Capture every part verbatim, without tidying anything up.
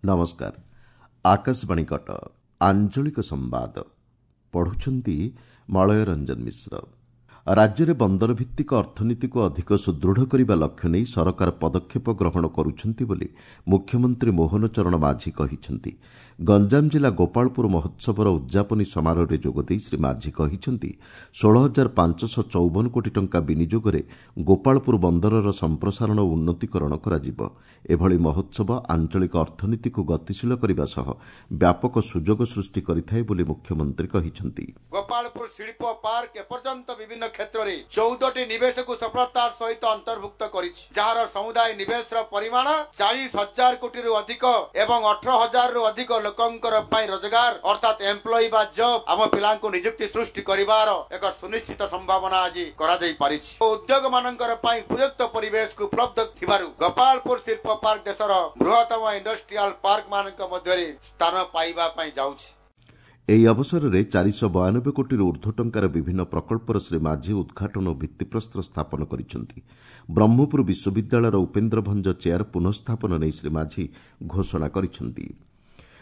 ନମସ୍କାର ଆକାଶବାଣୀ କଟକ ଆଞ୍ଚଳିକ ସମ୍ବାଦ ପଢୁଛନ୍ତି ମଳୟ ରଞ୍ଜନ ମିଶ୍ର ରାଜ୍ୟରେ ବନ୍ଦର ଭିତ୍ତିକ ଅର୍ଥନୀତିକୁ ଅଧିକ ସୁଦୃଢ଼ କରିବା ଲକ୍ଷ୍ୟ ନେଇ ସରକାର ପଦକ୍ଷେପ ଗ୍ରହଣ କରୁଛନ୍ତି ବୋଲି ମୁଖ୍ୟମନ୍ତ୍ରୀ ମୋହନ ଚରଣ ମାଝୀ କହିଛନ୍ତି ଗଞ୍ଜାମ ଜିଲ୍ଲା ଗୋପାଳପୁର ମହୋତ୍ସବର ଉଦ୍ଯାପନୀ ସମାରୋହରେ ଯୋଗଦେଇ ଶ୍ରୀ ମାଝୀ କହିଛନ୍ତି ଷୋହଳ ହଜାର ପାଞ୍ଚଶହ ଚଉବନ କୋଟି ଟଙ୍କା ବିନିଯୋଗରେ ଗୋପାଳପୁର ବନ୍ଦରର ସମ୍ପ୍ରସାରଣ ଓ ଉନ୍ନତିକରଣ କରାଯିବ ଏଭଳି ମହୋତ୍ସବ ଆଞ୍ଚଳିକ ଅର୍ଥନୀତିକୁ ଗତିଶୀଳ କରିବା ସହ ବ୍ୟାପକ ସୁଯୋଗ ସୃଷ୍ଟି କରିଥାଏ ବୋଲି ମୁଖ୍ୟମନ୍ତ୍ରୀ କହିଛନ୍ତି ଗୋପାଳପୁର ଶିଳ୍ପ ପାର୍କ ଏପର୍ଯ୍ୟନ୍ତ ବିଭିନ୍ନ କ୍ଷେତ୍ରରେ ଚଉଦଟି ନିବେଶକୁ ସଫଳତାର ସହିତ ଅନ୍ତର୍ଭୁକ୍ତ କରିଛି ଯାହାର ସମୁଦାୟ ନିବେଶର ପରିମାଣ ଚାଳିଶ ହଜାର କୋଟିରୁ ଅଧିକ ଏବଂ ଅଠର ହଜାରରୁ ଅଧିକ ଲୋକଙ୍କର ପାଇଁ ରୋଜଗାର ଅର୍ଥାତ୍ ଏମ୍ପ୍ଲୟି ବା ଜବ୍ ଆମ ପିଲାଙ୍କୁ ନିଯୁକ୍ତି ସୃଷ୍ଟି କରିବାର ଏକ ସୁନିଶ୍ଚିତ ସମ୍ଭାବନା ଆଜି କରାଯାଇ ପାରିଛି ଉଦ୍ୟୋଗ ମାନଙ୍କର ପାଇଁ ଉପଯୁକ୍ତ ପରିବେଶକୁ ଉପଲବ୍ଧ ଥିବାରୁ ଗୋପାଳପୁର ଶିଳ୍ପ ପାର୍କ ଦେଶର ବୃହତ୍ତମ ଇଣ୍ଡଷ୍ଟ୍ରିଆଲ ପାର୍କ ମାନଙ୍କ ମଧ୍ୟରେ ସ୍ଥାନ ପାଇବା ପାଇଁ ଯାଉଛି ଏହି ଅବସରରେ ଚାରିଶହ ବୟାନବେ କୋଟିରୁ ଉର୍ଦ୍ଧ୍ୱ ଟଙ୍କାର ବିଭିନ୍ନ ପ୍ରକଳ୍ପର ଶ୍ରୀ ମାଝୀ ଉଦ୍ଘାଟନ ଓ ଭିତ୍ତିପ୍ରସ୍ତର ସ୍ଥାପନ କରିଛନ୍ତି ବ୍ରହ୍ମପୁର ବିଶ୍ୱବିଦ୍ୟାଳୟର ଉପେନ୍ଦ୍ର ଭଞ୍ଜ ଚେୟାର ପୁନଃସ୍ଥାପନ ନେଇ ଶ୍ରୀ ମାଝୀ ଘୋଷଣା କରିଛନ୍ତି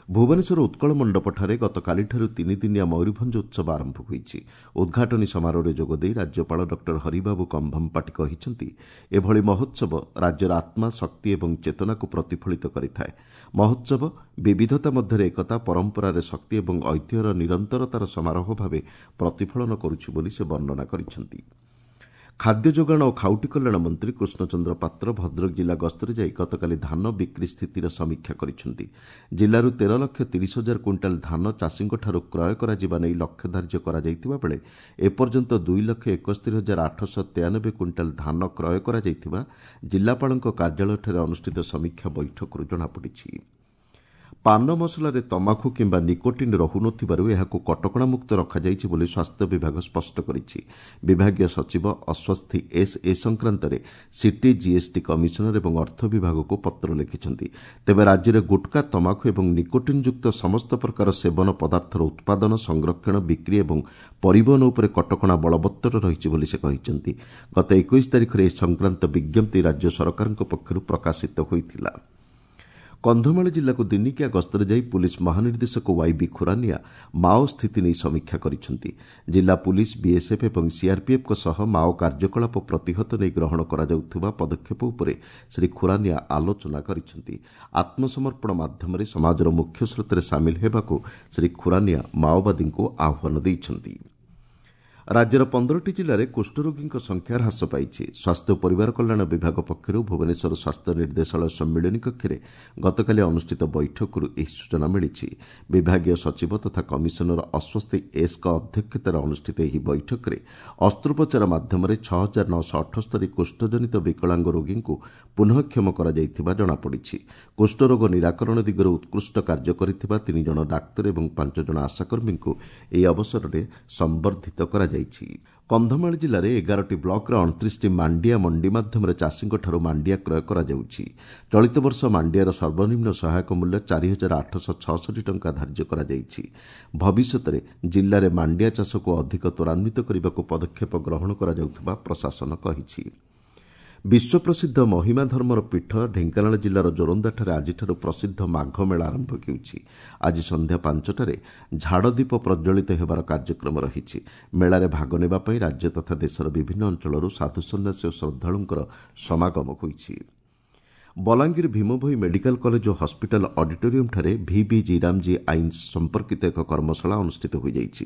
ଭୁବନେଶ୍ୱର ଉତ୍କଳ ମଣ୍ଡପଠାରେ ଗତକାଲିଠାରୁ ତିନିଦିନିଆ ମୟୂରଭଞ୍ଜ ଉତ୍ସବ ଆରମ୍ଭ ହୋଇଛି ଉଦ୍ଘାଟନୀ ସମାରୋହରେ ଯୋଗଦେଇ ରାଜ୍ୟପାଳ ଡକ୍ଟର ହରିବାବୁ କମ୍ଭମପାଟି କହିଛନ୍ତି ଏଭଳି ମହୋତ୍ସବ ରାଜ୍ୟର ଆତ୍ମା ଶକ୍ତି ଏବଂ ଚେତନାକୁ ପ୍ରତିଫଳିତ କରିଥାଏ ମହୋତ୍ସବ ବିବିଧତା ମଧ୍ୟରେ ଏକତା ପରମ୍ପରାରେ ଶକ୍ତି ଏବଂ ଐତିହ୍ୟର ନିରନ୍ତରତାର ସମାରୋହ ଭାବେ ପ୍ରତିଫଳନ କରୁଛି ବୋଲି ସେ ବର୍ଣ୍ଣନା କରିଛନ୍ତି ଖାଦ୍ୟ ଯୋଗାଣ ଓ ଖାଉଟି କଲ୍ୟାଣ ମନ୍ତ୍ରୀ କୃଷ୍ଣଚନ୍ଦ୍ର ପାତ୍ର ଭଦ୍ରକ ଜିଲ୍ଲା ଗସ୍ତରେ ଯାଇ ଗତକାଲି ଧାନ ବିକ୍ରି ସ୍ଥିତିର ସମୀକ୍ଷା କରିଛନ୍ତି ଜିଲ୍ଲାରୁ ତେର ଲକ୍ଷ ତିରିଶ ହଜାର କୁଇଣ୍ଟାଲ ଧାନ ଚାଷୀଙ୍କଠାରୁ କ୍ରୟ କରାଯିବା ନେଇ ଲକ୍ଷ୍ୟ ଧାର୍ଯ୍ୟ କରାଯାଇଥିବା ବେଳେ ଏପର୍ଯ୍ୟନ୍ତ ଦୁଇ ଲକ୍ଷ ଏକସ୍ତରୀ ହଜାର ଆଠଶହ ତେୟାନବେ କୁଇଣ୍ଟାଲ ଧାନ କ୍ରୟ କରାଯାଇଥିବା ଜିଲ୍ଲାପାଳଙ୍କ କାର୍ଯ୍ୟାଳୟଠାରେ ଅନୁଷ୍ଠିତ ସମୀକ୍ଷା ବୈଠକରୁ ଜଣାପଡ଼ିଛି ପାନ ମସଲାରେ ତମାଖୁ କିମ୍ବା ନିକୋଟିନ୍ ରହୁନଥିବାରୁ ଏହାକୁ କଟକଣାମୁକ୍ତ ରଖାଯାଇଛି ବୋଲି ସ୍ୱାସ୍ଥ୍ୟ ବିଭାଗ ସ୍ପଷ୍ଟ କରିଛି ବିଭାଗୀୟ ସଚିବ ଅଶ୍ୱସ୍ଥି ଏସ୍ ଏ ସଂକ୍ରାନ୍ତରେ ସିଟି ଜିଏସ୍ଟି କମିଶନର ଏବଂ ଅର୍ଥ ବିଭାଗକୁ ପତ୍ର ଲେଖିଛନ୍ତି ତେବେ ରାଜ୍ୟରେ ଗୁଟ୍ଖା ତମାଖୁ ଏବଂ ନିକୋଟିନ୍ଯୁକ୍ତ ସମସ୍ତ ପ୍ରକାର ସେବନ ପଦାର୍ଥର ଉତ୍ପାଦନ ସଂରକ୍ଷଣ ବିକ୍ରି ଏବଂ ପରିବହନ ଉପରେ କଟକଣା ବଳବତ୍ତର ରହିଛି ବୋଲି ସେ କହିଛନ୍ତି ଗତ ଏକୋଇଶ ତାରିଖରେ ଏ ସଂକ୍ରାନ୍ତ ବିଜ୍ଞପ୍ତି ରାଜ୍ୟ ସରକାରଙ୍କ ପକ୍ଷରୁ ପ୍ରକାଶିତ ହୋଇଥିଲା କନ୍ଧମାଳ ଜିଲ୍ଲାକୁ ଦିନିକିଆ ଗସ୍ତରେ ଯାଇ ପୁଲିସ୍ ମହାନିର୍ଦ୍ଦେଶକ ୱାଇବି ଖୁରାନିଆ ମାଓ ସ୍ଥିତି ନେଇ ସମୀକ୍ଷା କରିଛନ୍ତି ଜିଲ୍ଲା ପୁଲିସ୍ ବିଏସ୍ଏଫ୍ ଏବଂ ସିଆର୍ପିଏଫ୍ଙ୍କ ସହ ମାଓ କାର୍ଯ୍ୟକଳାପ ପ୍ରତିହତ ନେଇ ଗ୍ରହଣ କରାଯାଉଥିବା ପଦକ୍ଷେପ ଉପରେ ଶ୍ରୀ ଖୁରାନିଆ ଆଲୋଚନା କରିଛନ୍ତି ଆତ୍ମସମର୍ପଣ ମାଧ୍ୟମରେ ସମାଜର ମୁଖ୍ୟ ସ୍ରୋତରେ ସାମିଲ ହେବାକୁ ଶ୍ରୀ ଖୁରାନିଆ ମାଓବାଦୀଙ୍କୁ ଆହ୍ୱାନ ଦେଇଛନ୍ତି ରାଜ୍ୟର ପନ୍ଦରଟି ଜିଲ୍ଲାରେ କୁଷ୍ଠରୋଗୀଙ୍କ ସଂଖ୍ୟା ହ୍ରାସ ପାଇଛି ସ୍ୱାସ୍ଥ୍ୟ ଓ ପରିବାର କଲ୍ୟାଣ ବିଭାଗ ପକ୍ଷରୁ ଭୁବନେଶ୍ୱର ସ୍ୱାସ୍ଥ୍ୟ ନିର୍ଦ୍ଦେଶାଳୟ ସମ୍ମିଳନୀ କକ୍ଷରେ ଗତକାଲି ଅନୁଷ୍ଠିତ ବୈଠକରୁ ଏହି ସୂଚନା ମିଳିଛି ବିଭାଗୀୟ ସଚିବ ତଥା କମିଶନର ଅଶ୍ୱସ୍ତି ଏସ୍ଙ୍କ ଅଧ୍ୟକ୍ଷତାରେ ଅନୁଷ୍ଠିତ ଏହି ବୈଠକରେ ଅସ୍ତ୍ରୋପଚାର ମାଧ୍ୟମରେ ଛଅ ହଜାର ନଅଶହ ଅଠସ୍ତରୀ କୁଷ୍ଠଜନିତ ବିକଳାଙ୍ଗ ରୋଗୀଙ୍କୁ ପୁନଃକ୍ଷମ କରାଯାଇଥିବା ଜଣାପଡ଼ିଛି କୁଷ୍ଠରୋଗ ନିରାକରଣ ଦିଗରେ ଉତ୍କୃଷ୍ଟ କାର୍ଯ୍ୟ କରିଥିବା ତିନି ଜଣ ଡାକ୍ତର ଏବଂ ପାଞ୍ଚ ଜଣ ଆଶାକର୍ମୀଙ୍କୁ ଏହି ଅବସରରେ ସମ୍ବର୍ଦ୍ଧିତ କରାଯାଇଛି କନ୍ଧମାଳ ଜିଲ୍ଲାରେ ଏଗାରଟି ବ୍ଲକର ଅଣତିରିଶଟି ମାଣ୍ଡିଆ ମଣ୍ଡି ମାଧ୍ୟମରେ ଚାଷୀଙ୍କଠାରୁ ମାଣ୍ଡିଆ କ୍ରୟ କରାଯାଉଛି ଚଳିତ ବର୍ଷ ମାଣ୍ଡିଆର ସର୍ବନିମ୍ନ ସହାୟକ ମୂଲ୍ୟ ଚାରି ହଜାର ଆଠଶହ ଛଅଷଠି ଟଙ୍କା ଧାର୍ଯ୍ୟ କରାଯାଇଛି ଭବିଷ୍ୟତରେ ଜିଲ୍ଲାରେ ମାଣ୍ଡିଆ ଚାଷକୁ ଅଧିକ ତ୍ୱରାନ୍ୱିତ କରିବାକୁ ପଦକ୍ଷେପ ଗ୍ରହଣ କରାଯାଉଥିବା ପ୍ରଶାସନ କହିଛି ବିଶ୍ୱପ୍ରସିଦ୍ଧ ମହିମା ଧର୍ମର ପୀଠ ଢେଙ୍କାନାଳ ଜିଲ୍ଲାର ଜୋରନ୍ଦାଠାରେ ଆଜିଠାରୁ ପ୍ରସିଦ୍ଧ ମାଘ ମେଳା ଆରମ୍ଭ ହେଉଛି ଆଜି ସନ୍ଧ୍ୟା ପାଞ୍ଚଟାରେ ଝାଡ଼ଦୀପ ପ୍ରଜ୍ୱଳିତ ହେବାର କାର୍ଯ୍ୟକ୍ରମ ରହିଛି ମେଳାରେ ଭାଗ ନେବା ପାଇଁ ରାଜ୍ୟ ତଥା ଦେଶର ବିଭିନ୍ନ ଅଞ୍ଚଳରୁ ସାଧୁସନ୍ନ୍ୟାସୀ ଓ ଶ୍ରଦ୍ଧାଳୁଙ୍କର ସମାଗମ ହୋଇଛି ବଲାଙ୍ଗୀର ଭୀମଭୋଇ ମେଡିକାଲ କଲେଜ ଓ ହସ୍ପିଟାଲ ଅଡିଟୋରିୟମଠାରେ ଭିବି ଜିରାମଜୀ ଆଇନ ସମ୍ପର୍କିତ ଏକ କର୍ମଶାଳା ଅନୁଷ୍ଠିତ ହୋଇଯାଇଛି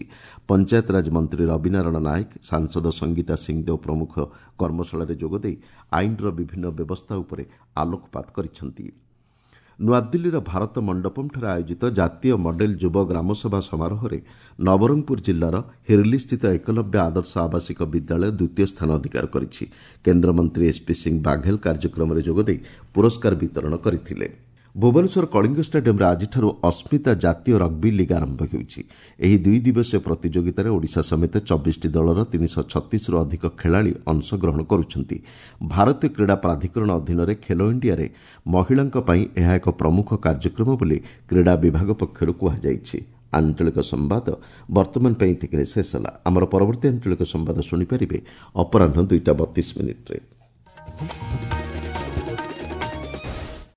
ପଞ୍ଚାୟତରାଜ ମନ୍ତ୍ରୀ ରବିନାରାୟଣ ନାୟକ ସାଂସଦ ସଙ୍ଗୀତା ସିଂଦେଓ ପ୍ରମୁଖ କର୍ମଶାଳାରେ ଯୋଗଦେଇ ଆଇନର ବିଭିନ୍ନ ବ୍ୟବସ୍ଥା ଉପରେ ଆଲୋକପାତ କରିଛନ୍ତି ନୂଆଦିଲ୍ଲୀର ଭାରତ ମଣ୍ଡପମଠାରେ ଆୟୋଜିତ ଜାତୀୟ ମଡେଲ ଯୁବ ଗ୍ରାମସଭା ସମାରୋହରେ ନବରଙ୍ଗପୁର ଜିଲ୍ଲାର ହିର୍ଲିସ୍ଥିତ ଏକଲବ୍ୟ ଆଦର୍ଶ ଆବାସିକ ବିଦ୍ୟାଳୟ ଦ୍ୱିତୀୟ ସ୍ଥାନ ଅଧିକାର କରିଛି କେନ୍ଦ୍ରମନ୍ତ୍ରୀ ଏସ୍ପି ସିଂ ବାଘେଲ କାର୍ଯ୍ୟକ୍ରମରେ ଯୋଗଦେଇ ପୁରସ୍କାର ବିତରଣ କରିଥିଲେ ଭୁବନେଶ୍ୱର କଳିଙ୍ଗ ଷ୍ଟାଡିୟମ୍ରେ ଆଜିଠାରୁ ଅସ୍ମିତା ଜାତୀୟ ରଗ୍ବି ଲିଗ୍ ଆରମ୍ଭ ହେଉଛି ଏହି ଦୁଇ ଦିବସୀୟ ପ୍ରତିଯୋଗିତାରେ ଓଡ଼ିଶା ସମେତ ଚବିଶଟି ଦଳର ତିନିଶହ ଛତିଶରୁ ଅଧିକ ଖେଳାଳି ଅଂଶଗ୍ରହଣ କରୁଛନ୍ତି ଭାରତୀୟ କ୍ରୀଡ଼ା ପ୍ରାଧିକରଣ ଅଧୀନରେ ଖେଲୋ ଇଣ୍ଡିଆରେ ମହିଳାଙ୍କ ପାଇଁ ଏହା ଏକ ପ୍ରମୁଖ କାର୍ଯ୍ୟକ୍ରମ ବୋଲି କ୍ରୀଡ଼ା ବିଭାଗ ପକ୍ଷରୁ କୁହାଯାଇଛି ଆଞ୍ଚଳିକ ସମ୍ବାଦ ବର୍ତ୍ତମାନ ପାଇଁ ଏତିକିରେ ଶେଷ ହେଲା ଆମର ପରବର୍ତ୍ତୀ ଆଞ୍ଚଳିକ ସମ୍ବାଦ ଶୁଣିପାରିବେ ଅପରାହ୍ନ ଦୁଇଟା ବତିଶ ମିନିଟ୍ରେ